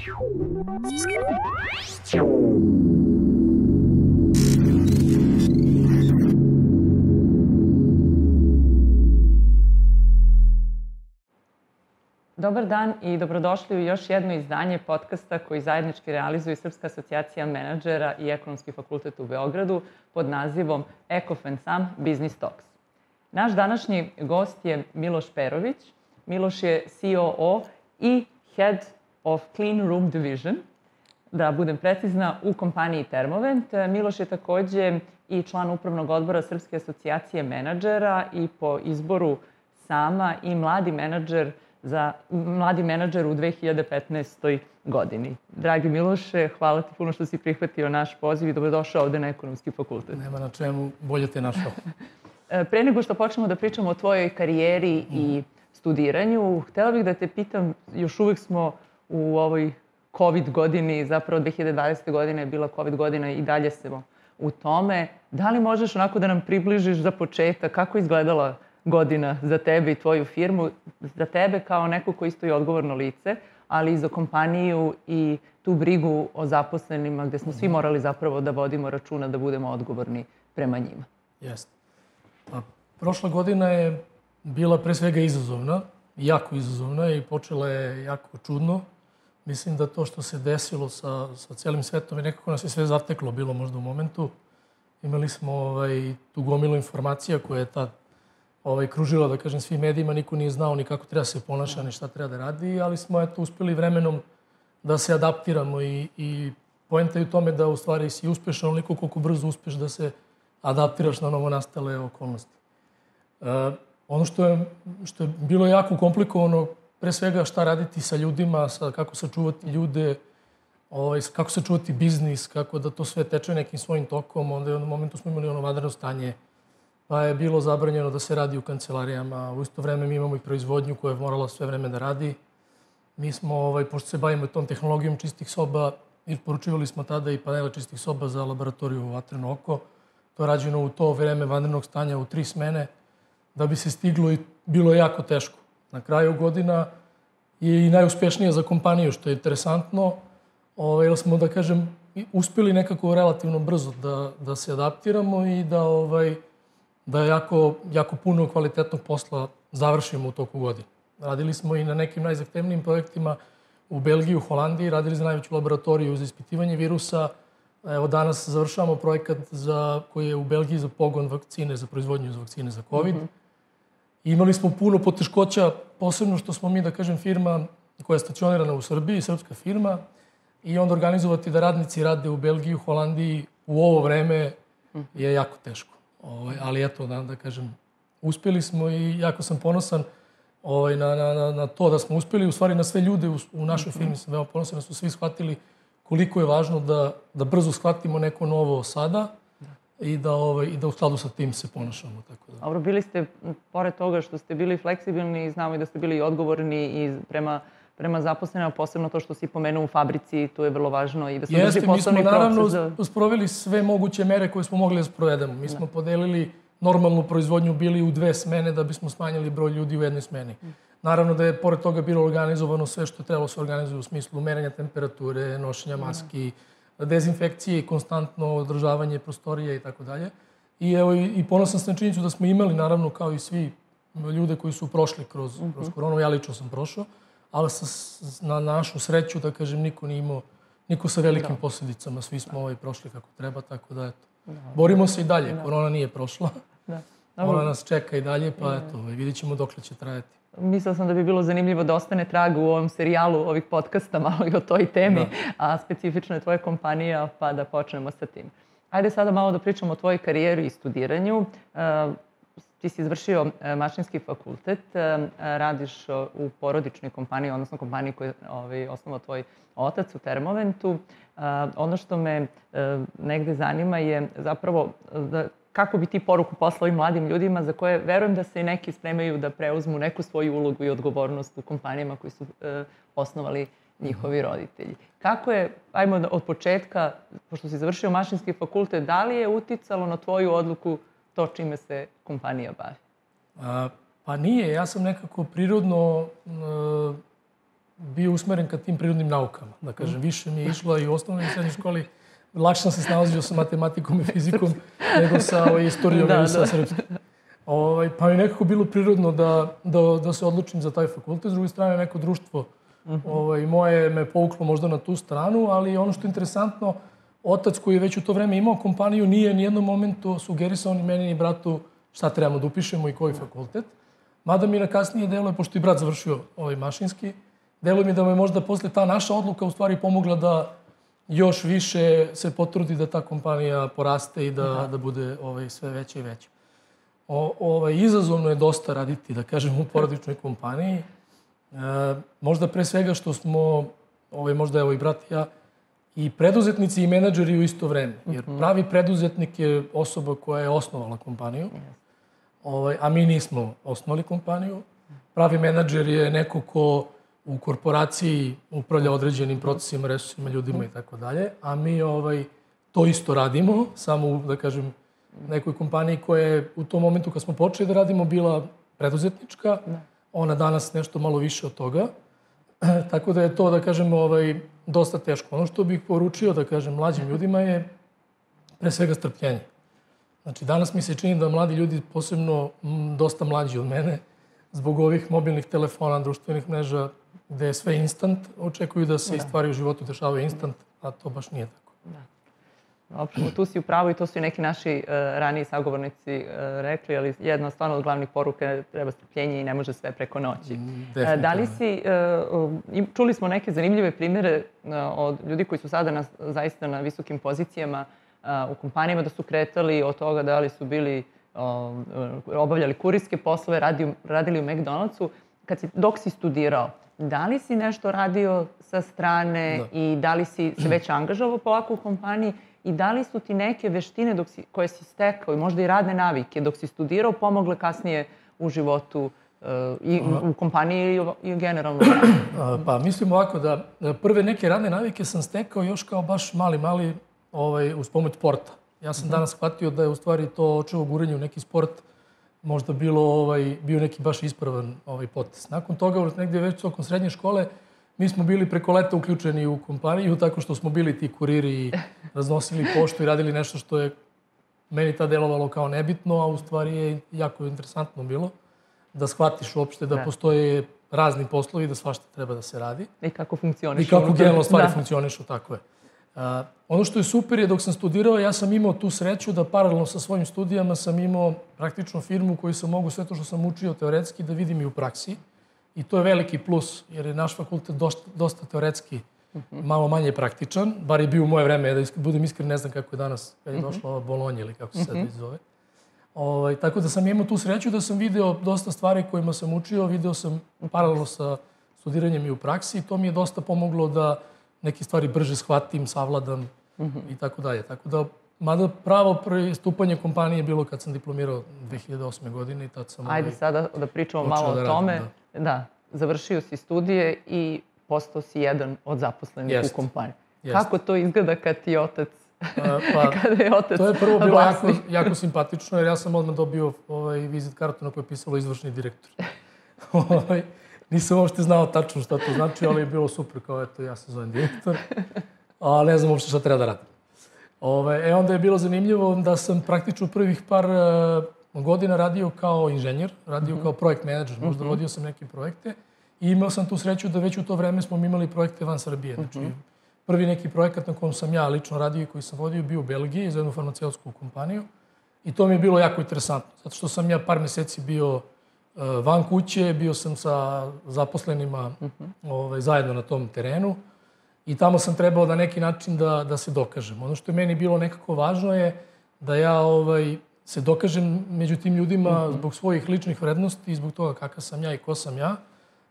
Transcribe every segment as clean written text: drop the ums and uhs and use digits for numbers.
Dobar dan i dobrodošli u još jedno izdanje podcasta koji zajednički realizuje Srpska asocijacija menadžera i Ekonomski fakultet u Beogradu pod nazivom Ekof & Sam Business Talks. Naš današnji gost je Miloš Perović. Miloš je COO i Head of Clean Room Division, da budem precizna, u kompaniji Termovent. Miloš je takođe i član upravnog odbora Srpske asocijacije menadžera i po izboru sama i mladi menadžer u 2015. godini. Dragi Miloše, hvala ti puno što si prihvatio naš poziv i dobrodošao ovde na Ekonomski fakultet. Nema na čemu, bolje te našao. Pre nego što počnemo da pričamo o tvojoj karijeri i studiranju, htela bih da te pitam, još uvek smo u ovoj COVID godini, zapravo 2020. godina je bila COVID godina i dalje smo u tome. Da li možeš onako da nam približiš za početak kako je izgledala godina za tebe i tvoju firmu, za tebe kao neko ko isto je odgovorno lice, ali i za kompaniju i tu brigu o zaposlenima gde smo svi morali zapravo da vodimo računa da budemo odgovorni prema njima. Jeste. Prošla godina je bila pre svega izazovna, jako izazovna i počela je jako čudno. Mislim da to što se desilo sa celim svetom i nekako nas je sve zateklo bilo možda u momentu. Imali smo tu gomilu informacija koja je tad kružila, da kažem, svim medijima. Niko nije znao ni kako treba se ponaša, ni šta treba da radi, ali smo uspeli vremenom da se adaptiramo i poenta je u tome da u stvari si uspešan onoliko koliko brzo uspeš da se adaptiraš na novonastale okolnosti. Ono što je bilo jako komplikovano, pre svega šta raditi sa ljudima, kako sačuvati ljude, kako sačuvati biznis, kako da to sve teče nekim svojim tokom. Onda u jednom momentu smo imali vanredno stanje, pa je bilo zabranjeno da se radi u kancelarijama. U isto vreme mi imamo i proizvodnju koja je morala sve vreme da radi. Mi smo, pošto se bavimo tom tehnologijom čistih soba, isporučivali smo tada i panele čistih soba za laboratoriju Vatreno oko. To je rađeno u to vreme vanrednog stanja u 3 smene, da bi se stiglo i bilo je jako teško. Na kraju godina je i najuspešnija za kompaniju, što je interesantno, jer smo, da kažem, uspeli nekako relativno brzo da se adaptiramo i da jako puno kvalitetnog posla završimo u toku godine. Radili smo i na nekim najzahtevnijim projektima u Belgiji, u Holandiji, radili za najveću laboratoriju za ispitivanje virusa. Evo danas završavamo projekat koji je u Belgiji za pogon vakcine, za proizvodnju vakcine za COVID. Imali smo puno poteškoća, posebno što smo mi, da kažem, firma koja je stacionirana u Srbiji, srpska firma, i onda organizovati da radnici rade u Belgiji, u Holandiji u ovo vreme je jako teško. Ali eto, da kažem, uspeli smo i jako sam ponosan na to da smo uspeli, u stvari na sve ljude u našoj firmi sam veoma ponosan da su svi shvatili koliko je važno da brzo shvatimo neko novo sada i da u skladu sa tim se ponašamo. Dobro, bili ste, pored toga što ste bili fleksibilni, znamo i da ste bili odgovorni i prema zaposlenima, posebno to što si pomenuo u fabrici, tu je vrlo važno i da se drži poslovni proces. Jeste, mi smo naravno sproveli sve moguće mere koje smo mogli da sprovedemo. Mi smo podelili normalnu proizvodnju, bili u 2 smene da bismo smanjili broj ljudi u 1 smeni. Naravno da je pored toga bilo organizovano sve što je trebalo se organizuje u smislu merenja temperature, nošenja maski, dezinfekcije i konstantno održavanje prostorije i tako dalje. I ponosan sam na činjenicu da smo imali, naravno, kao i svi ljude koji su prošli kroz koronu, ja lično sam prošao, ali na našu sreću, da kažem, niko sa velikim posljedicama. Svi smo prošli kako treba, tako da eto. Borimo se i dalje, korona nije prošla. Ona nas čeka i dalje, pa eto, vidit ćemo dokle će trajati. Mislila sam da bi bilo zanimljivo da ostane trag u ovom serijalu ovih podcasta, malo i o toj temi, a specifično je tvoja kompanija, pa da počnemo sa tim. Ajde sada malo da pričamo o tvojoj karijeri i studiranju. Ti si izvršio mašinski fakultet, radiš u porodičnoj kompaniji, odnosno kompaniji koju je osnovao tvoj otac u Termoventu. Ono što me negde zanima je zapravo kako bi ti poruku poslao ovim mladim ljudima za koje verujem da se i neki spremaju da preuzmu neku svoju ulogu i odgovornost u kompanijama koji su osnovali njihovi roditelji. Kako je, ajmo od početka, pošto si završio mašinski fakultet, da li je uticalo na tvoju odluku to čime se kompanija bavi? Pa nije. Ja sam nekako prirodno bio usmeren ka tim prirodnim naukama. Da kažem, više mi je išla i u osnovnoj i srednjoj školi. Lakše sam se snalazio sa matematikom i fizikom nego sa istorijom ili sa srpskim. Pa mi je nekako bilo prirodno da se odlučim za taj fakultet. S druge strane, neko društvo moje me povuklo možda na tu stranu, ali ono što je interesantno, otac koji je već u to vreme imao kompaniju nije ni jednom momentu sugerisao ni meni ni bratu šta trebamo da upišemo i koji fakultet. Mada mi na kasnije deluje, pošto i brat završio mašinski, deluje mi da me možda posle ta naša odluka u stvari pomogla da još više se potrudi da ta kompanija poraste i da bude sve veća i veća. Izazovno je dosta raditi, da kažem, u porodičnoj kompaniji. Možda pre svega što smo, možda evo i brat i ja, i preduzetnici i menadžeri u isto vreme. Jer pravi preduzetnik je osoba koja je osnovala kompaniju, a mi nismo osnovali kompaniju. Pravi menadžer je neko ko u korporaciji upravlja određenim procesima, resursima, ljudima i tako dalje, a mi to isto radimo, samo u, da kažem, nekoj kompaniji koja je u tom momentu kad smo počeli da radimo bila preduzetnička, ona danas nešto malo više od toga. Tako da je to, da kažem, dosta teško. Ono što bih poručio, da kažem, mlađim ljudima je pre svega strpljenje. Znači, danas mi se čini da mladi ljudi, posebno dosta mlađi od mene, zbog ovih mobilnih telefona, društvenih mreža, gde je sve instant, očekuju da se i stvari u životu dešavaju instant, a to baš nije tako. Opšteno, tu si u pravu i to su i neki naši raniji sagovornici rekli, ali jedna stvarno od glavnih poruka je treba strpljenje i ne može sve preko noći. Da li si, čuli smo neke zanimljive primjere od ljudi koji su sada zaista na visokim pozicijama u kompanijama, da su kretali od toga da li su bili, obavljali kurirske poslove, radili u McDonald'su. Dok si studirao, da li si nešto radio sa strane i da li si se već angažovao polako u kompaniji i da li su ti neke veštine koje si stekao i možda i radne navike dok si studirao pomogle kasnije u životu i u kompaniji i generalno? Pa mislim ovako da prve neke radne navike sam stekao još kao baš mali uz pomoć sporta. Ja sam danas shvatio da je u stvari to očevo guranje u neki sport možda bio neki baš ispravan potez. Nakon toga, negdje već tokom srednje škole, mi smo bili preko leta uključeni u kompaniju, tako što smo bili ti kuriri i raznosili poštu i radili nešto što je meni tad delovalo kao nebitno, a u stvari je jako interesantno bilo da shvatiš uopšte da postoje razni poslovi, da svašta treba da se radi. I kako funkcionišu. I kako generalno stvari funkcionišu, tako je. Ono što je super je dok sam studirao, ja sam imao tu sreću da paralelno sa svojim studijama sam imao praktično firmu koju sam mogu sve to što sam učio teoretski da vidim i u praksi. I to je veliki plus, jer je naš fakultet dosta teoretski, malo manje praktičan. Bar je bio u moje vreme, da budem iskren, ne znam kako je danas, kad je došla ova Bolonja ili kako se sad zove. Tako da sam imao tu sreću da sam video dosta stvari kojima sam učio, video sam paralelno sa studiranjem i u praksi i to mi je dosta pomoglo da neke stvari brže shvatim, savladam i tako dalje. Tako da, mada pravo pristupanje kompanije je bilo kad sam diplomirao 2008. godine i tad sam... Ajde sada da pričamo malo o tome. Da, završio si studije i postao si jedan od zaposlenih u kompaniji. Kako to izgleda kad ti otac... Kada je otac to je prvo bilo jako simpatično, jer ja sam odmah dobio vizit kartu na kojoj je pisalo izvršni direktor. Nisam uopšte znao tačno šta to znači, ali je bilo super, kao eto, ja se zovem direktor, a ne znam uopšte šta treba da radim. Onda je bilo zanimljivo da sam praktično prvih par godina radio kao inženjer, radio kao projekt menadžer, možda vodio sam neke projekte i imao sam tu sreću da već u to vreme smo imali projekte van Srbije. Znači, prvi neki projekat na kojem sam ja lično radio i koji sam vodio bio u Belgiji za jednu farmaceutsku kompaniju i to mi je bilo jako interesantno, zato što sam ja par meseci bio van kuće, bio sam sa zaposlenima zajedno na tom terenu i tamo sam trebao na neki način da se dokažem. Ono što je meni bilo nekako važno je da ja se dokažem među tim ljudima zbog svojih ličnih vrednosti i zbog toga kakav sam ja i ko sam ja,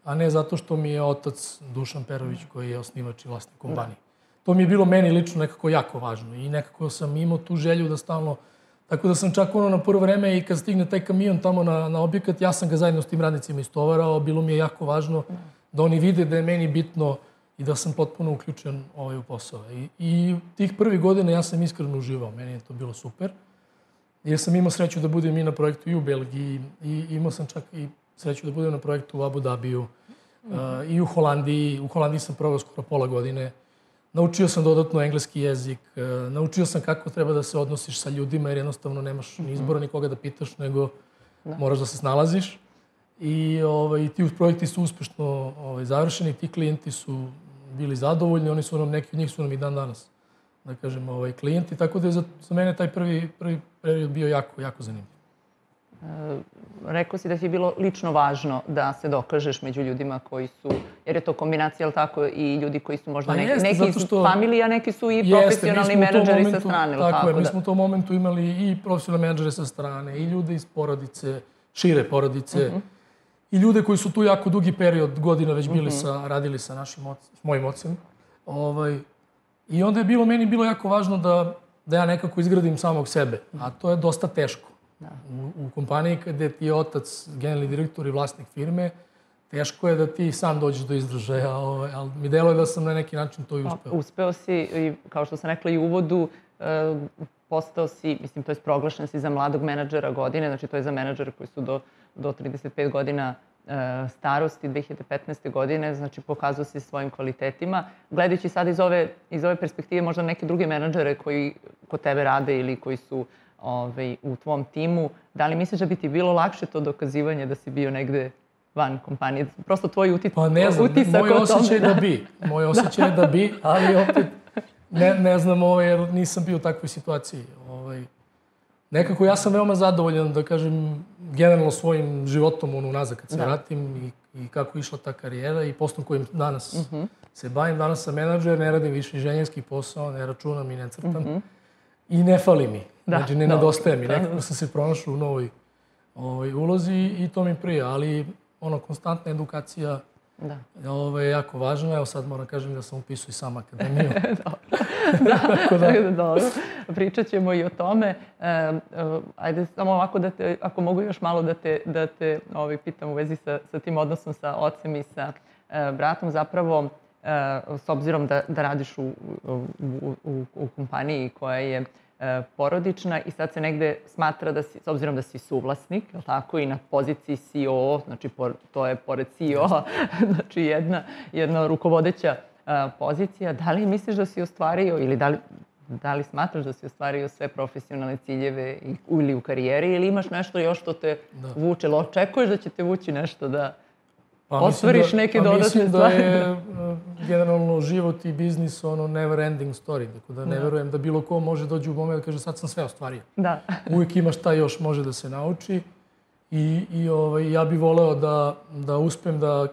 a ne zato što mi je otac Dušan Perović koji je osnivač i vlasnik kompanije. To mi je bilo meni lično nekako jako važno i nekako sam imao tu želju da stalno... Tako da sam čak na prvo vreme i kad stigne taj kamion tamo na objekat, ja sam ga zajedno s tim radnicima istovarao. Bilo mi je jako važno da oni vide da je meni bitno i da sam potpuno uključen u posao. I tih prvih godina ja sam iskreno uživao. Meni je to bilo super. Jer sam imao sreću da budem i na projektu i u Belgiji i imao sam čak i sreću da budem na projektu u Abu Dhabiju. i u Holandiji. U Holandiji sam proveo skoro pola godine. Naučio sam dodatno engleski jezik. Naučio sam kako treba da se odnosiš sa ljudima, jer jednostavno nemaš ni izbora nikoga da pitaš, nego moraš da se snalaziš. I ti projekti su uspešno završeni, ti klijenti su bili zadovoljni, oni su nam, neki od njih su nam i dan danas, da kažem, klijenti. Tako da je za mene taj prvi period bio jako, jako zanimljiv. Rekao si da ti je bilo lično važno da se dokažeš među ljudima koji su, jer je to kombinacija, ali tako, i ljudi koji su možda neki iz familije, a neki su i profesionalni menadžeri sa strane. Tako je, mi smo u tom momentu imali i profesionalne menadžere sa strane, i ljude iz porodice, šire porodice, i ljude koji su tu jako dugi period godina već bili radili sa mojim ocem. I onda je meni bilo jako važno da ja nekako izgradim samog sebe, a to je dosta teško. U kompaniji kada ti je otac generalni direktor i vlasnik firme, teško je da ti sam dođeš do izražaja, ali mi deluje da sam na neki način to i uspeo. Uspeo si, kao što sam rekla i u uvodu, postao si, mislim, to je proglašen si za mladog menadžera godine, znači to je za menadžere koji su do 35 godina starosti 2015. godine, znači pokazao si svojim kvalitetima. Gledajući sad iz ove perspektive možda neke druge menadžere koji kod tebe rade ili koji su u tvom timu, da li misliš da bi ti bilo lakše to dokazivanje da si bio negde van kompanije? Prosto tvoj utisak o tome. Pa ne znam, moj osjećaj da bi. Moj osjećaj da bi, ali opet ne znam jer nisam bio u takvoj situaciji. Nekako ja sam veoma zadovoljan, da kažem, generalno svojim životom unazad kad se vratim i kako je išla ta karijera i poslom kojim danas se bavim. Danas sam menadžer, ne radim više inženjerski posao, ne računam i ne crtam. I ne fali mi. Znači, ne nedostaje mi. Nekako sam se pronašao u novoj ulozi i to mi prija. Ali, konstantna edukacija je jako važna. Evo sad moram kažem da sam upisao i sam akademiju. Dobro. Pričat ćemo i o tome. Ajde samo ovako da te, ako mogu još malo da te pitam u vezi sa tim odnosom sa ocem i sa bratom. Zapravo, s obzirom da radiš u kompaniji koja je porodična i sad se negde smatra da si, s obzirom da si suvlasnik, je li tako, i na poziciji CEO, znači to je pored CEO-a, znači jedna rukovodeća pozicija, da li misliš da si ostvario ili da li smatraš da si ostvario sve profesionalne ciljeve ili u karijeri ili imaš nešto još što te vuče, ili očekuješ da će te vući nešto da ostvariš neke dodatne stvari? Mislim da je generalno život i biznis never ending story, tako da ne verujem da bilo ko može dođi u moment da kaže sad sam sve ostvario. Uvijek ima šta još može da se nauči i ja bih voleo da uspem da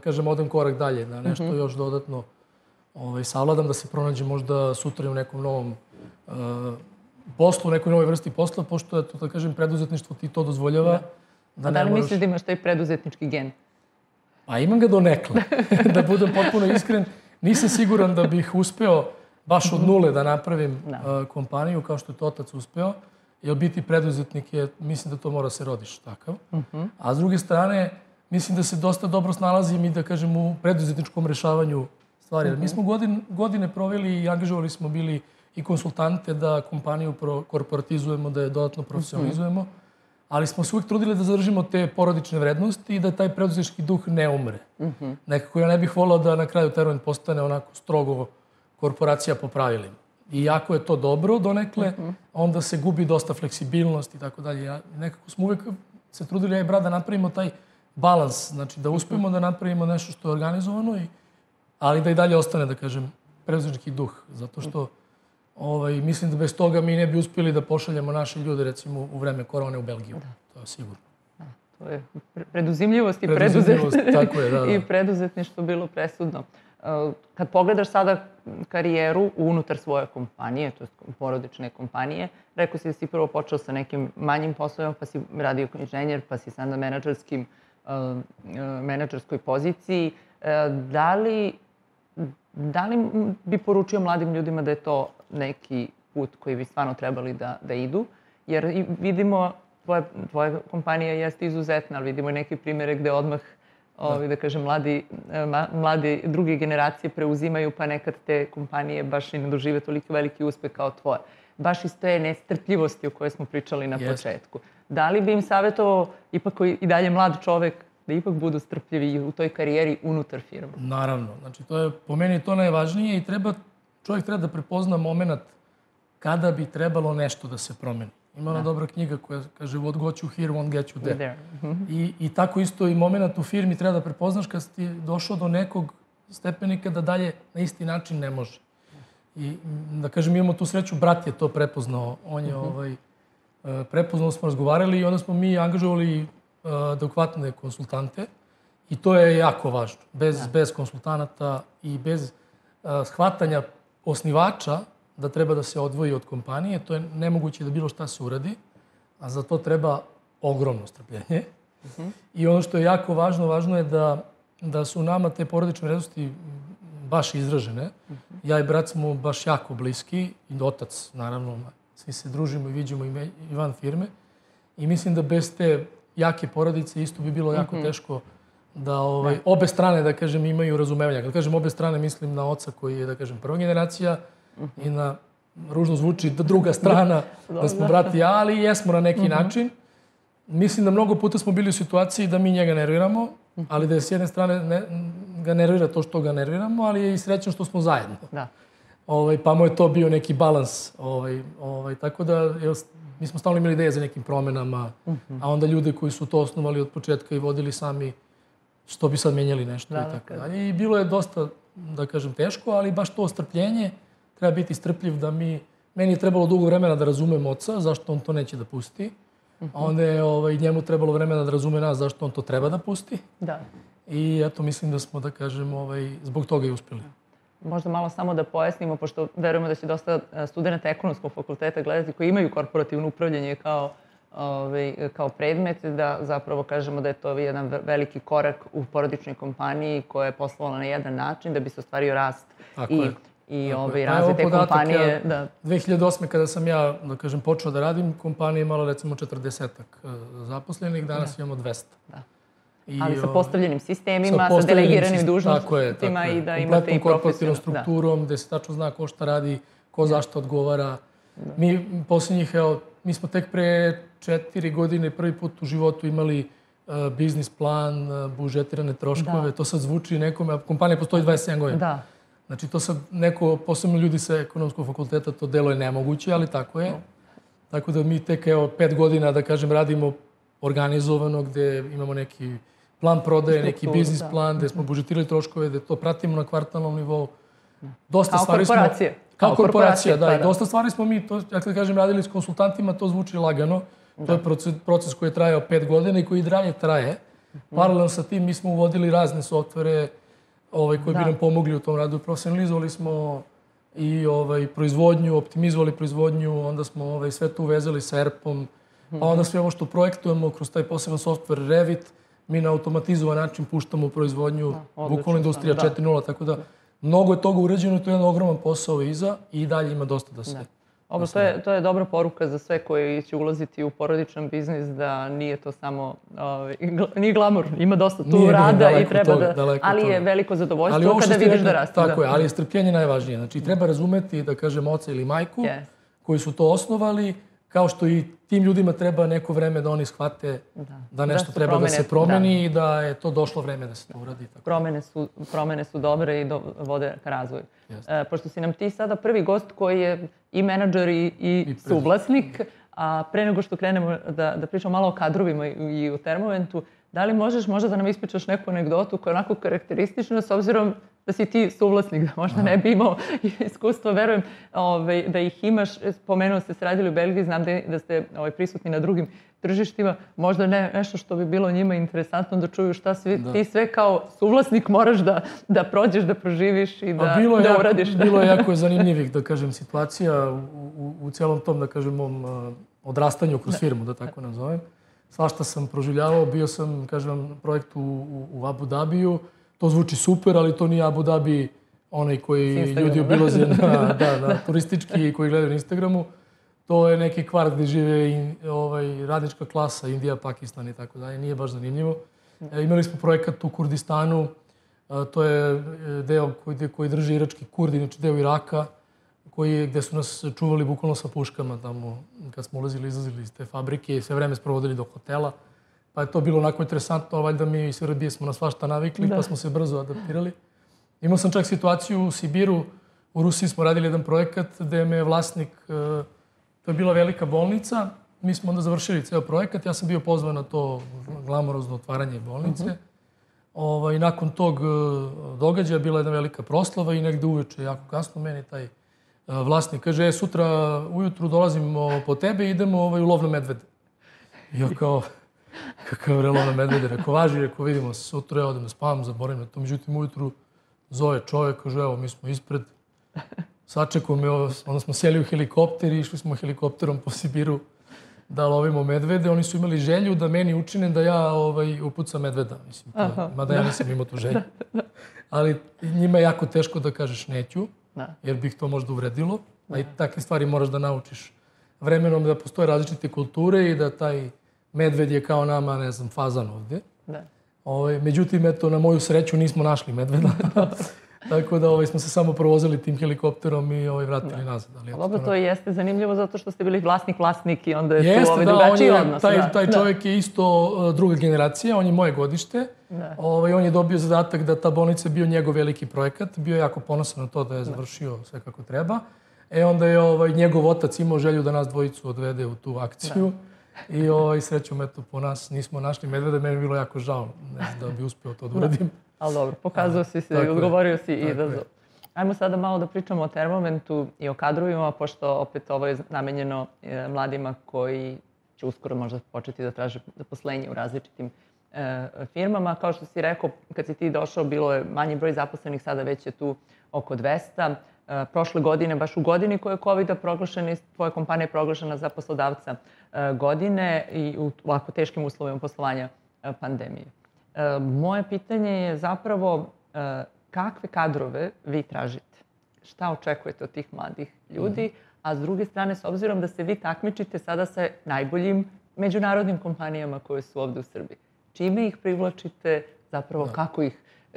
kažem odem korak dalje, da nešto još dodatno savladam, da se pronađem možda sutra u nekom novom poslu, u nekoj novoj vrsti posla, pošto je to, da kažem, preduzetništvo ti to dozvoljava. Da li misliš da imaš taj preduzetnički gen? A imam ga donekle, da budem potpuno iskren. Nisam siguran da bih uspeo baš od nule da napravim kompaniju kao što je to otac uspeo, jer biti preduzetnik je, mislim da to mora se rodiš takav. A s druge strane, mislim da se dosta dobro snalazim i da kažem u preduzetničkom rešavanju stvari. Mi smo godine proveli i angažovali smo bili i konsultante da kompaniju korporatizujemo, da je dodatno profesionalizujemo, ali smo se uvijek trudili da zadržimo te porodične vrednosti i da taj preduzetnički duh ne umre. Nekako ja ne bih volao da na kraju Teruent postane onako strogo korporacija po pravilima. I ako je to dobro donekle, onda se gubi dosta fleksibilnost i tako dalje. Nekako smo uvijek se trudili, ja i brat, da napravimo taj balans, znači da uspemo da napravimo nešto što je organizovano, ali da i dalje ostane, da kažem, preduzetnički duh. Zato što mislim da bez toga mi ne bi uspjeli da pošaljemo naše ljude, recimo, u vreme korone u Belgiju. To je sigurno. To je preduzimljivost i preduzetništvo bilo presudno. Kad pogledaš sada karijeru unutar svoje kompanije, to je porodične kompanije, rekao si da si prvo počeo sa nekim manjim poslovima, pa si radio kao inženjer, pa si sad na menadžerskoj poziciji. Da li bi poručio mladim ljudima da je to neki put koji bi stvarno trebali da idu? Jer vidimo, tvoja kompanija jeste izuzetna, ali vidimo i neke primjere gde odmah, da kažem, mladi druge generacije preuzimaju, pa nekad te kompanije baš i ne dožive toliko veliki uspeh kao tvoje. Baš iz te nestrpljivosti o kojoj smo pričali na početku. Da li bi im savjetovao, ipak i dalje mlad čovek, da ipak budu strpljivi u toj karijeri unutar firme. Naravno. Znači, po meni je to najvažnije i čovjek treba da prepozna moment kada bi trebalo nešto da se promeni. Ima ona dobra knjiga koja kaže what got you here won't get you there. I tako isto i moment u firmi treba da prepoznaš kad si došao do nekog stepenika da dalje na isti način ne može. I da kažem, imamo tu sreću, brat je to prepoznao. On je prepoznao, smo razgovarali i onda smo mi angažovali adekvatne konsultante i to je jako važno. Bez konsultanata i bez shvatanja osnivača da treba da se odvoji od kompanije, to je nemoguće da bilo šta se uradi, a za to treba ogromno strpljenje. I ono što je jako važno, važno je da su nama te porodične vrednosti baš izražene. Ja i brat smo baš jako bliski, i otac, naravno, svi se družimo i viđemo i van firme. I mislim da bez te jake porodice isto bi bilo jako teško da obe strane, da kažem, imaju razumevanja. Kad kažem obe strane, mislim na oca koji je, da kažem, prva generacija i na, ružno zvuči, druga strana, da smo brat i ja, ali jesmo na neki način. Mislim da mnogo puta smo bili u situaciji da mi njega nerviramo, ali da je s jedne strane ga nervira to što ga nerviramo, ali je i srećan što smo zajedno. Pa mu je to bio neki balans. Tako da mi smo stalno imali ideje za nekim promenama, a onda ljude koji su to osnovali od početka i vodili sami, što bi sad menjali nešto i tako dalje. I bilo je dosta, da kažem, teško, ali baš to strpljenje, treba biti strpljiv da meni je trebalo dugo vremena da razumem oca, zašto on to neće da pusti. A onda je njemu trebalo vremena da razume nas zašto on to treba da pusti. I eto, mislim da smo, da kažem, zbog toga i uspeli. Možda malo samo da pojasnimo, pošto verujemo da će dosta studenta ekonomskog fakulteta gledati koji imaju korporativno upravljanje kao predmet, da zapravo kažemo da je to jedan veliki korak u porodičnoj kompaniji koja je poslovala na jedan način da bi se ostvario rast i razvoj te kompanije. 2008. kada sam ja, da kažem, počeo da radim, kompanija imala recimo 40-ak zaposlenih, danas imamo 200. Ali sa postavljenim sistemima, sa delegiranim dužnostima i da imate i kompletnom korporativnom strukturom, gde se tačno zna ko šta radi, ko zašto odgovara. Mi posljednjih, mi smo tek pre 4 godine prvi put u životu imali biznis plan, budžetirane troškove. To sad zvuči nekome, a kompanija postoji 27 godina. Znači, to sad neko, posebno ljudi sa ekonomskog fakulteta, to delo je nemoguće, ali tako je. Tako da mi tek, 5 godina, da kažem, radimo organizovano, gde imamo neki plan prodaje, neki biznis plan, gde smo budžetirali troškove, gde to pratimo na kvartalnom nivou. Kao korporacija. Kao korporacija, da. I dosta stvari smo mi, ja kada kažem, radili s konsultantima, to zvuči lagano. To je proces koji je trajao 5 godina i koji i dalje traje. Paralelno sa tim mi smo uvodili razne softvere koji bi nam pomogli u tom radu. Profesionalizovali smo i proizvodnju, optimizovali proizvodnju, onda smo sve to uvezali sa ERP-om, pa onda sve ovo što projektujemo kroz taj poseban softver Revit, mi na automatizovan način puštamo u proizvodnju, bukvalno industrija 4.0, tako da mnogo je toga urađeno i to je jedan ogroman posao iza i dalje ima dosta da se... To je dobra poruka za sve koji će ulaziti u porodičan biznis, da nije to samo, nije glamur, ima dosta tu rada i treba da, ali je veliko zadovoljstvo kada vidiš da raste. Tako je, ali je strpljenje najvažnije. Znači, treba razumeti, da kažem, oca ili majku koji su to osnovali, kao što i tim ljudima treba neko vreme da oni shvate da nešto treba da se promeni i da je to došlo vreme da se to uradi. Promene su dobre i vode ka razvoju. Pošto si nam ti sada prvi gost koji je i menadžer i suvlasnik, a pre nego što krenemo da pričamo malo o kadrovima i o Termoventu, da li možeš možda da nam ispričaš neku anegdotu koja je onako karakteristična s obzirom da si ti suvlasnik, da možda ne bi imao iskustva, verujem da ih imaš. Spomenuo ste se radili u Belgiji, znam da ste prisutni na drugim tržištima. Možda nešto što bi bilo njima interesantno da čuju šta ti sve kao suvlasnik moraš da prođeš, da proživiš i da uradiš. Bilo je jako zanimljivih, da kažem, situacija u celom tom, da kažem, mom odrastanju kroz firmu, da tako nazovem. Svašta sam proživljavao, bio sam, kažem, projekt u Abu Dhabiju. To zvuči super, ali to nije Abu Dhabi, onaj koji ljudi obilaze na turistički i koji gledaju na Instagramu. To je neki kvart gde žive radnička klasa, Indija, Pakistan i tako dalje. Nije baš zanimljivo. Imali smo projekat u Kurdistanu. To je deo koji drži irački Kurdi, znači deo Iraka, gde su nas čuvali bukvalno sa puškama tamo kad smo ulazili i izlazili iz te fabrike i sve vreme sprovodili do hotela. Pa je to bilo onako interesantno, valjda mi iz Srbije smo na svašta navikli, pa smo se brzo adaptirali. Imao sam čak situaciju u Sibiru, u Rusiji smo radili jedan projekat gde me je vlasnik, to je bila velika bolnica, mi smo onda završili ceo projekat, ja sam bio pozvan na to glamorozno otvaranje bolnice. I nakon tog događaja bila jedna velika proslava i negde uveče, jako kasno, meni taj vlasnik kaže, sutra ujutru dolazimo po tebe i idemo u lov na medvede. I ja kao, kakav lov na medvede, rekao, važi, rekao, vidimo se sutra, ja odem da spavam, zaboravim na to. Međutim, ujutru zove čovjek, kaže, evo, mi smo ispred, sačekao me, onda smo sjeli u helikopter i išli smo helikopterom po Sibiru da lovimo medvede. Oni su imali želju da meni učine da ja upucam medveda. Mislim, mada ja nisam imao tu želju. Ali njima je jako teško da kažeš neću, jer bi ih to možda uvredilo. A i takve stvari moraš da naučiš vremenom, da postoje različite kulture i da taj medved je kao nama, ne znam, fazan ovdje. Međutim, eto, na moju sreću nismo našli medveda. Tako da smo se samo provozili tim helikopterom i vratili nazad. Dobro, to jeste zanimljivo zato što ste bili vlasnik i onda je tu drugačiji odnos. Taj čovjek je isto druga generacija, on je moje godište. On je dobio zadatak da ta bolnica je bio njegov veliki projekat. Bio je jako ponosan na to da je završio sve kako treba. Onda je njegov otac imao želju da nas dvojicu odvede u tu akciju. I srećom, eto, po nas nismo našli medvede. Meni je bilo jako žao, ne znam da bi uspio to da uradim. Ali dobro, pokazao si se i odgovorio si izazov. Ajmo sada malo da pričamo o Termometu i o kadrovima, pošto opet ovo je namenjeno mladima koji će uskoro možda početi da traže zaposlenje u različitim firmama. Kao što si rekao, kad si ti došao, bilo je manji broj zaposlenih, sada već je tu oko 200. Prošle godine, baš u godini koje je COVID-a proglašena, tvoja kompanija je proglašena za poslodavca godine i u ovako teškim uslovima poslovanja pandemije. Moje pitanje je zapravo kakve kadrove vi tražite? Šta očekujete od tih mladih ljudi? A s druge strane, s obzirom da se vi takmičite sada sa najboljim međunarodnim kompanijama koje su ovde u Srbiji, čime ih privlačite, zapravo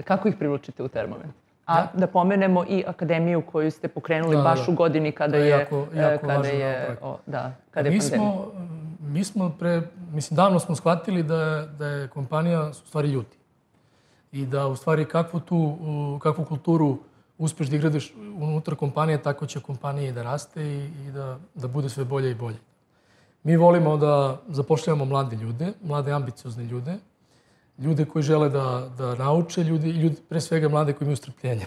kako ih privlačite u Termomet? A da pomenemo i akademiju koju ste pokrenuli baš u godini kada je pandemija. Mi smo davno smo shvatili da je kompanija u stvari ljudi. I da u stvari kakvu kulturu uspeš da igradiš unutar kompanije, tako će kompanija i da raste i da bude sve bolje i bolje. Mi volimo da zapošljavamo mlade ljude, mlade ambiciozne ljude, ljude koji žele da nauče, pre svega mlade koji imaju strpljenja.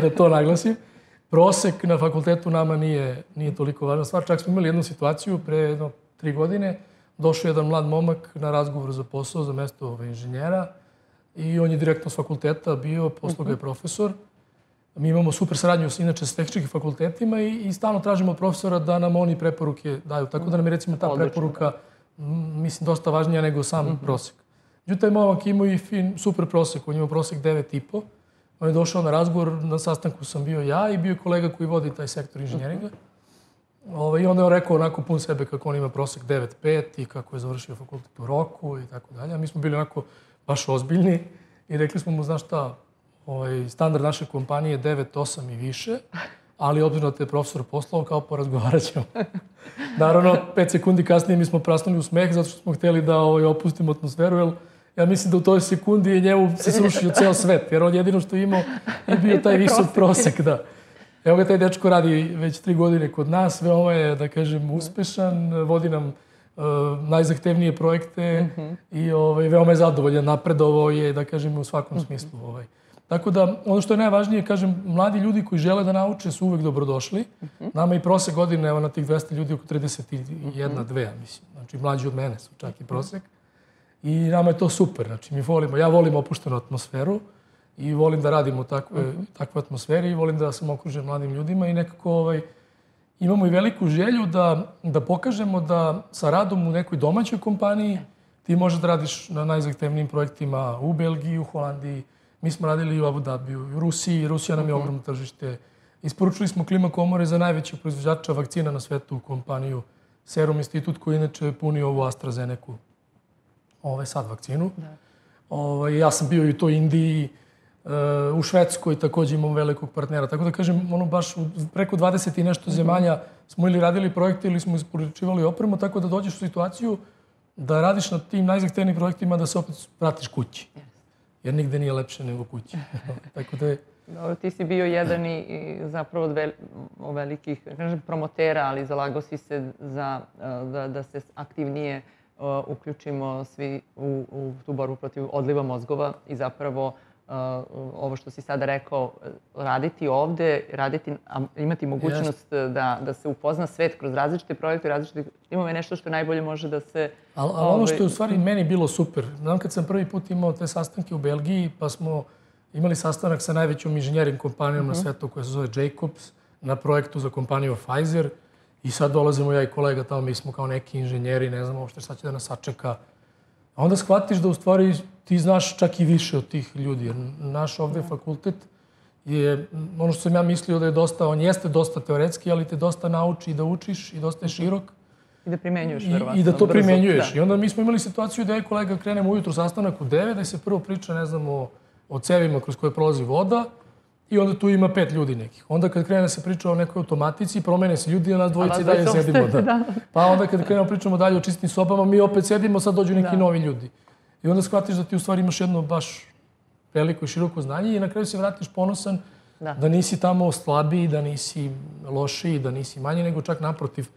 Da to naglasim. Prosek na fakultetu nama nije toliko važna stvar. Čak smo imali jednu situaciju pre 3 godine. Došao jedan mlad momak na razgovor za posao, za mesto inženjera i on je direktno s fakulteta bio, posle ga je profesor. Mi imamo super saradnju inače s tehničkim fakultetima i stalno tražimo od profesora da nam oni preporuke daju. Tako da nam je recimo ta preporuka, mislim, dosta važnija nego sam prosek. Međutim, taj momak imao i super prosek, on imao prosek 9,5. On je došao na razgovor, na sastanku sam bio ja i bio kolega koji vodi taj sektor inženjeringa. I onda je on rekao onako pun sebe kako on ima prosek 9,5 i kako je završio fakultet u roku i tako dalje. A mi smo bili onako baš ozbiljni i rekli smo mu, znaš šta, standard naše kompanije je 9,8 i više, ali obzirom da te je profesor poslao, kao porazgovarat ćemo. Naravno, 5 sekundi kasnije mi smo prasnuli u smeh zato što smo htjeli da opustimo atmosferu, jer ja mislim da u toj sekundi njemu se srušio ceo svet, jer on jedino što je imao je bio taj visok prosek. Evo ga, taj dečko radi već 3 godine kod nas, veoma je, da kažem, uspešan, vodi nam najzahtevnije projekte i veoma je zadovoljan, napredovao je, da kažem, u svakom smislu. Tako da, ono što je najvažnije, kažem, mladi ljudi koji žele da nauče su uvek dobrodošli. Nama i prosek godine, evo na tih 200 ljudi, oko 31-2, mislim. Znači, mlađi od mene su čak i prosek. I nama je to super. Znači, ja volim opuštenu atmosferu i volim da radim u takvoj atmosferi i volim da sam okružen mladim ljudima i nekako imamo i veliku želju da pokažemo da sa radom u nekoj domaćoj kompaniji ti možeš da radiš na najzahtevnijim projektima u Belgiji, u Holandiji. Mi smo radili u Abu Dhabiju, u Rusiji. Rusija nam je ogromno tržište. Isporučili smo klima komore za najvećeg proizvođača vakcina na svetu u kompaniju Serum Institut, koji inače puni ovu AstraZenecu, sad vakcinu. Ja sam bio i u toj Indiji, u Švedskoj također imamo velikog partnera. Tako da kažem, baš preko 20 i nešto zemalja smo ili radili projekte ili smo isporučivali opremu, tako da dođeš u situaciju da radiš na tim najzahtevnijim projektima da se opet vratiš kući. Jer nigde nije lepše nego kući. Tako da je... Dobro, ti si bio jedan i zapravo od velikih, kažem, promotera, ali zalagao si se za da se aktivnije uključimo svi u tu borbu protiv odliva mozgova i zapravo ovo što si sada rekao, raditi ovde, imati mogućnost da se upozna svet kroz različite projekte, imamo nešto što najbolje može da se... Ali ono što je u stvari meni bilo super, znam kad sam prvi put imao te sastanke u Belgiji, pa smo imali sastanak sa najvećom inženjering kompanijom na svetu koja se zove Jacobs, na projektu za kompaniju Pfizer. I sad dolazimo ja i kolega tamo, mi smo kao neki inženjeri, ne znamo uopšte šta će da nas sačeka. A onda shvatiš da u stvari ti znaš čak i više od tih ljudi. Jer naš ovde fakultet je, ono što sam ja mislio da je dosta, on jeste dosta teoretski, ali te dosta nauči da učiš i dosta je širok. I da primenjuješ, verovatno. I da to primenjuješ. I onda mi smo imali situaciju da je kolega krenemo ujutru sastanak u 9, da se prvo priča, ne znam, o cevima kroz koje prolazi voda i onda tu ima 5 ljudi nekih. Onda kad krene se priča o nekoj automatici, promene se ljudi, a nas dvojici dalje sedimo. Pa onda kad krenemo pričamo dalje o čistim sobama, mi opet sedimo, sad dođu neki novi ljudi. I onda shvatiš da ti u stvari imaš jedno baš veliko i široko znanje i na kraju se vratiš ponosan da nisi tamo slabiji, da nisi lošiji, da nisi manji, nego čak naprotiv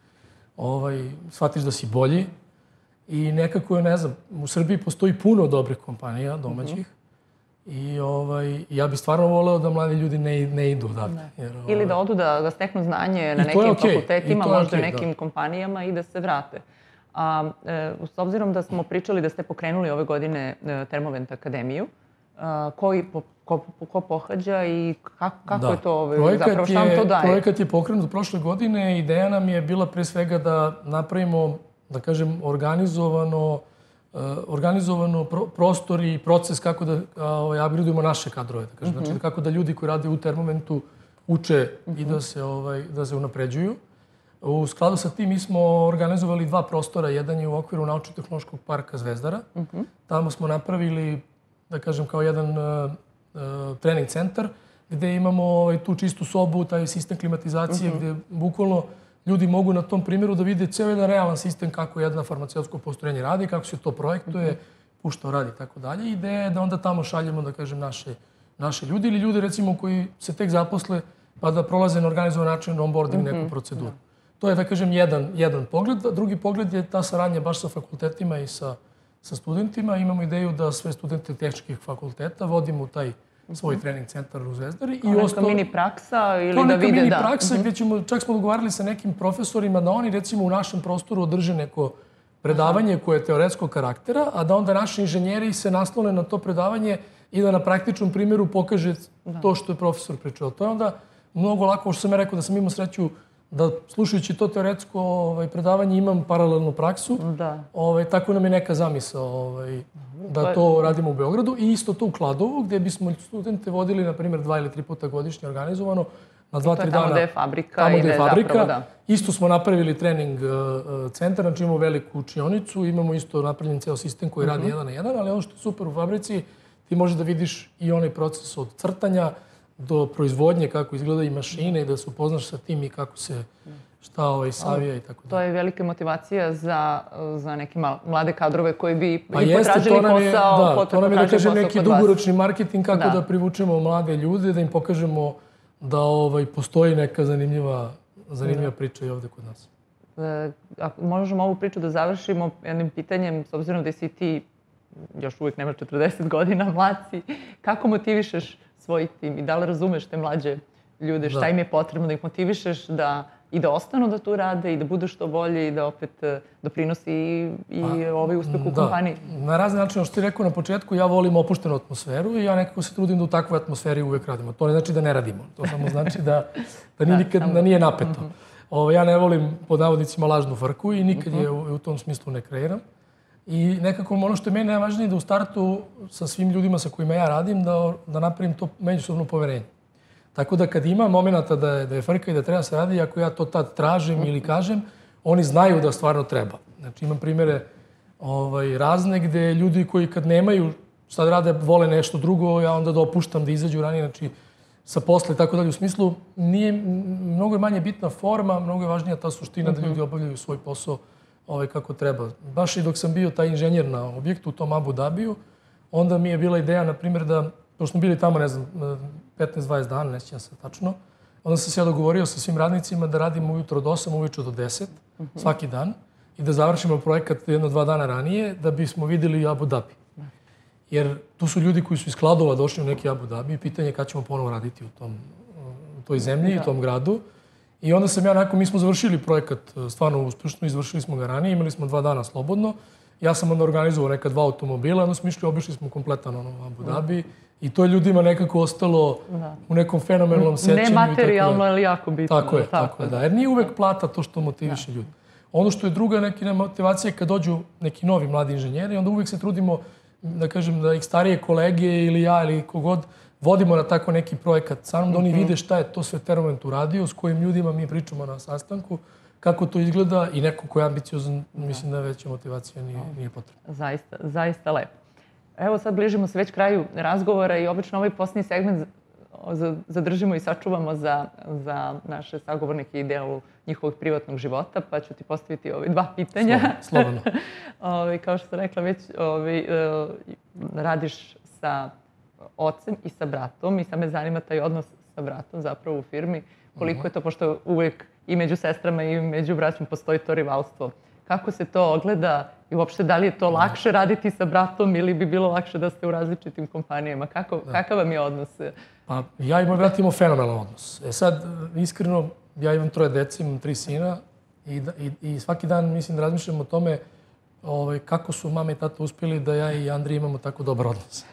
shvatiš da si bolji. I nekako je, ne znam, u Srbiji postoji puno dobrih kompanija, domaćih. I ja bih stvarno voleo da mladi ljudi ne idu odavde. Ili da odu da steknu znanje na nekim fakultetima, možda u nekim kompanijama i da se vrate. S obzirom da smo pričali da ste pokrenuli ove godine Termovent akademiju, ko pohađa i kako je to, zapravo šta vam to daje? Projekat je pokrenut prošle godine. Ideja nam je bila pre svega da napravimo, da kažem, organizovano prostor i proces kako da upgradeujemo naše kadrove. Znači kako da ljudi koji rade u Termoventu uče i da se unapređuju. U skladu sa tim mi smo organizovali 2 prostora. Jedan je u okviru Naučno-tehnološkog parka Zvezdara. Tamo smo napravili, da kažem, kao jedan trening centar gde imamo tu čistu sobu, taj sistem klimatizacije gde bukvalno ljudi mogu na tom primjeru da vide ceo jedan realan sistem kako jedna farmaceutsko postrojenje radi, kako se to projektuje, što radi i tako dalje. Ideja je da onda tamo šaljemo, da kažem, naše ljudi ili ljudi, recimo, koji se tek zaposle pa da prolaze na organizovan način onboarding neku proceduru. To je, da kažem, jedan pogled. Drugi pogled je ta saradnja baš sa fakultetima i sa studentima. Imamo ideju da sve studente tehničkih fakulteta vodimo u taj svoj trening centar u Zvezdari. Kao neka mini praksa ili da vide, da. Kao neka mini praksa gdje ćemo, čak smo dogovarali sa nekim profesorima da oni, recimo, u našem prostoru održe neko predavanje koje je teoretskog karaktera, a da onda naši inženjeri se naslone na to predavanje i da na praktičnom primjeru pokaže to što je profesor pričao. To je onda mnogo lako, što sam ja rekao da sam imao sreću da slušajući to teoretsko predavanje imam paralelnu praksu. Tako nam je neka zamisao da to radimo u Beogradu. I isto to u Kladovu, gdje bismo studente vodili, na primjer, 2 ili 3 puta godišnje organizovano. Na 2-3 dana. Tamo gde je fabrika. Tamo gde je fabrika. Isto smo napravili trening centar, znači imamo veliku učionicu, imamo isto napravljen ceo sistem koji radi 1 na 1, ali ono što je super u fabrici, ti možeš da vidiš i onaj proces od crtanja do proizvodnje, kako izgleda i mašine i da se upoznaš sa tim i kako se šta savija i tako dalje. To je velika motivacija za neke mlade kadrove koji bi potražili posao. Da, to nam je, da kažem, neki dugoročni marketing kako da privučemo mlade ljude, da im pokažemo da postoji neka zanimljiva priča i ovde kod nas. Možemo ovu priču da završimo jednim pitanjem, s obzirom da si ti još uvijek nemaš 40 godina, mlad si. Kako motivišeš svoj tim i da li razumeš te mlađe ljude, šta im je potrebno da ih motivišeš da ostanu da tu rade i da budu što bolje i da opet doprinosi i ovaj uspeh u kompaniji? Na razne načine, što ti rekao na početku, ja volim opuštenu atmosferu i ja nekako se trudim da u takvoj atmosferi uvek radimo. To ne znači da ne radimo, to samo znači da nije napeto. Ja ne volim, pod navodnicima, lažnu frku i nikad je u tom smislu ne kreiram. I nekako ono što je meni najvažnije da u startu sa svim ljudima sa kojima ja radim da napravim to međusobno poverenje. Tako da kad ima momenata da je frka i da treba se radi, ako ja to tad tražim ili kažem, oni znaju da stvarno treba. Znači imam primjere razne gde ljudi koji kad nemaju šta da rade, vole nešto drugo, ja onda dopuštam da izađu ranije, znači sa posle i tako dalje. U smislu, mnogo je manje bitna forma, mnogo je važnija ta suština da ljudi obavljaju svoj posao kako treba. Baš i dok sam bio taj inženjer na objektu u tom Abu Dhabiju, onda mi je bila ideja, na primjer, da, pošto smo bili tamo, ne znam, 15-20 dana, ne sjećam se tačno, onda sam se ja dogovorio sa svim radnicima da radimo ujutro od 8, uveče do 10, svaki dan, i da završimo projekat 1-2 dana ranije, da bismo videli Abu Dhabi. Jer tu su ljudi koji su iz Kladova došli u neki Abu Dhabi i pitanje je kada ćemo ponovo raditi u toj zemlji, u tom gradu. I onda sam ja, mi smo završili projekat stvarno uspješno, izvršili smo ga ranije, imali smo 2 dana slobodno. Ja sam onda organizovao neka 2 automobila, onda smo išli, obišli smo kompletan Abu Dhabi i to je ljudima nekako ostalo u nekom fenomenalnom sećanju. Nematerijalno, ali jako bitno. Tako je, da. Jer nije uvek plata to što motiviše ljudi. Ono što je druga neka motivacija kad dođu neki novi mladi inženjeri, onda uvek se trudimo, da kažem, da ih starije kolege ili ja ili kogod vodimo na tako neki projekat sa mnom, da oni vide šta je to sve Termoment uradio, s kojim ljudima mi pričamo na sastanku, kako to izgleda i neko ko je ambiciozan, mislim da veća motivacija nije potrebna. Zaista lepo. Evo sad bližimo se već kraju razgovora i obično ovaj posljednji segment zadržimo i sačuvamo za naše sagovornike i delu njihovog privatnog života, pa ću ti postaviti 2 pitanja. Slobodno. Kao što sam rekla, već radiš sa ocem i sa bratom i sad me zanima taj odnos sa bratom zapravo u firmi. Koliko je to, pošto uvijek i među sestrama i među braćom postoji to rivalstvo. Kako se to ogleda i uopšte da li je to lakše raditi sa bratom ili bi bilo lakše da ste u različitim kompanijama? Kakav vam je odnos? Pa ja i moj brat imamo fenomenalan odnos. Sad, iskreno, ja imam 3 dece, imam 3 sina i svaki dan mislim da razmišljam o tome kako su mama i tata uspjeli da ja i Andrija imamo tako dobar odnos.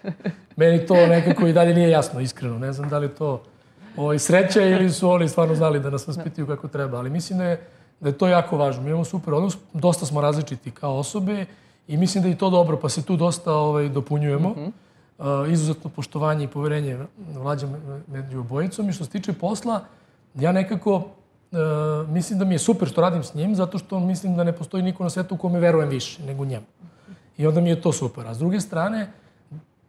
Meni to nekako i dalje nije jasno, iskreno. Ne znam da li to sreća ili su oni stvarno znali da nas vaspitaju kako treba. Ali mislim da je to jako važno. Mi imamo super odnos, dosta smo različiti kao osobe i mislim da je to dobro, pa se tu dosta dopunjujemo. Izuzetno poštovanje i poverenje vlađa među obojicom. I što se tiče posla, ja nekako mislim da mi je super što radim s njim, zato što mislim da ne postoji niko na svetu u kome verujem više nego njemu. I onda mi je to super. A s druge strane,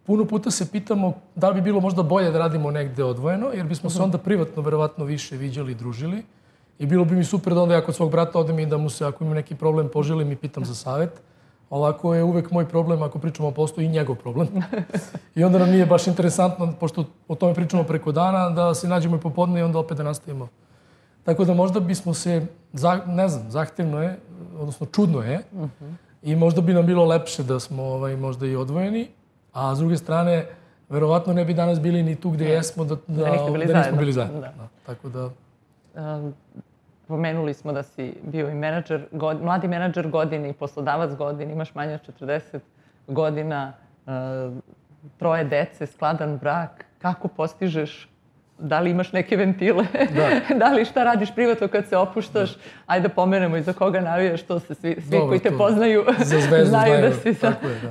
puno puta se pitamo da li bi bilo možda bolje da radimo negde odvojeno, jer bismo se onda privatno verovatno više viđali i družili. I bilo bi mi super da onda ja kod svog brata odem i da mu se, ako imam neki problem, poželim i pitam za savjet. Ovako je uvek moj problem, ako pričamo o poslu, i njegov problem. I onda nam nije baš interesantno, pošto o tome pričamo preko dana, da se nađemo i popodne i onda opet da nastavimo. Tako da možda bismo se, ne znam, zahtevno je, odnosno čudno je, i možda bi nam bilo lepše da smo možda i odvojeni, a s druge strane, verovatno ne bi danas bili ni tu gde jesmo, da nismo bili zajedno. Tako da... Pomenuli smo da si bio i mladi menadžer godine i poslodavac godine, imaš manje od 40 godina, 3 dece, skladan brak. Kako postižeš? Da li imaš neke ventile? Da li šta radiš privatno kad se opuštaš? Ajde da pomenemo i za koga navijaš, to se svi koji te poznaju znaju da si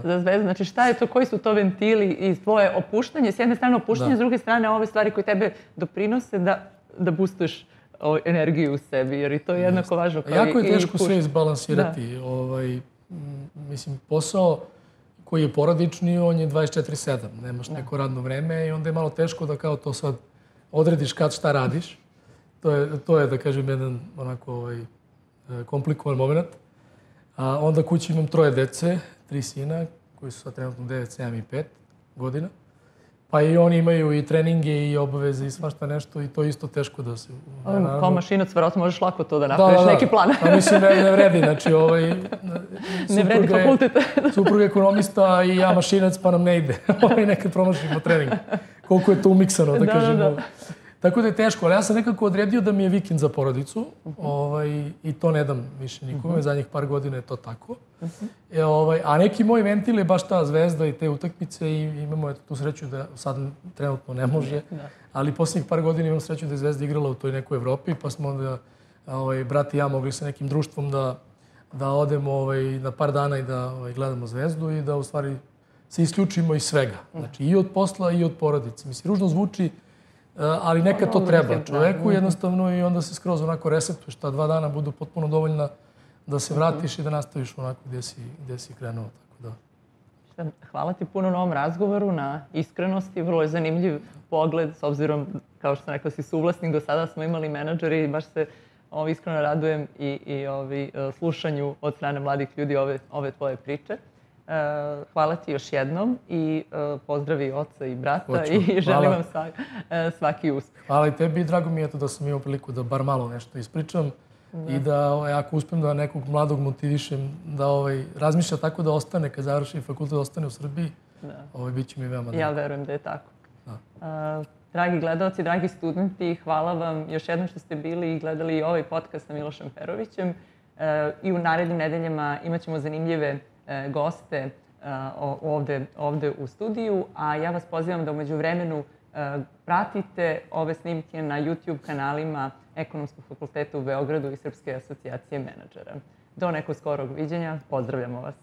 za Zvezdu. Znači šta je to, koji su to ventili i tvoje opuštanje? S jedne strane opuštanje, s druge strane ove stvari koje tebe doprinose da boostuješ energiju u sebi, jer i to je jednako važno. Jako je teško sve izbalansirati. Mislim, posao koji je porodični, on je 24/7. Nemaš neko radno vreme i onda je malo teško da kao to sad odrediš kad šta radiš. To je, da kažem, jedan onako komplikovan moment. A onda kući imam 3 dece, 3 sina, koji su sad trenutno 9, 7 i 5 godina. Pa i oni imaju i treninge i obaveze i svašta nešto i to je isto teško da se... Kao mašinac, verovatno možeš lako to da napraviš, neki plan. Da, mislim, ne vredi. Znači, ne vredi fakultet. Suprug ekonomista i ja mašinac, pa nam ne ide. Nekad promašimo trening. Koliko je to umiksano, da kažemo. Tako da je teško, ali ja sam nekako odredio da mi je vikend za porodicu i to ne dam više nikome. Zadnjih par godina je to tako. A neki moj ventil je baš ta Zvezda i te utakmice i imamo tu sreću da sad trenutno ne može, ali posljednjih par godina imam sreću da je Zvezda igrala u toj nekoj Evropi, pa smo onda brat i ja mogli sa nekim društvom da odemo na par dana i da gledamo Zvezdu i da u stvari se isključimo iz svega. Znači i od posla i od porodice. Mislim, ružno zvuči, ali nekad to treba čoveku jednostavno i onda se skroz onako resetuješ. Ta 2 dana budu potpuno dovoljna da se vratiš i da nastaviš onako gdje si krenuo. Hvala ti puno na ovom razgovoru, na iskrenosti. Vrlo je zanimljiv pogled, s obzirom, kao što sam rekla, si suvlasnik. Do sada smo imali menadžeri i baš se iskreno radujem i slušanju od strane mladih ljudi ove tvoje priče. Hvala ti još jednom i pozdravi oca i brata i želim vam svaki uspeh. Hvala i tebi i drago mi je da sam imao priliku da bar malo nešto ispričam i da ako uspem da nekog mladog motivišem da razmišlja tako da ostane, kad završi fakultet, ostane u Srbiji, bit će mi veoma drago. Ja verujem da je tako. Dragi gledalci, dragi studenti, hvala vam još jednom što ste bili i gledali ovaj podcast sa Milošem Perovićem. I u narednim nedeljama imat ćemo zanimljive goste ovde u studiju, a ja vas pozivam da u međuvremenu pratite ove snimke na YouTube kanalima Ekonomskog fakulteta u Beogradu i Srpske asocijacije menadžera. Do nekog skorog viđenja, pozdravljamo vas.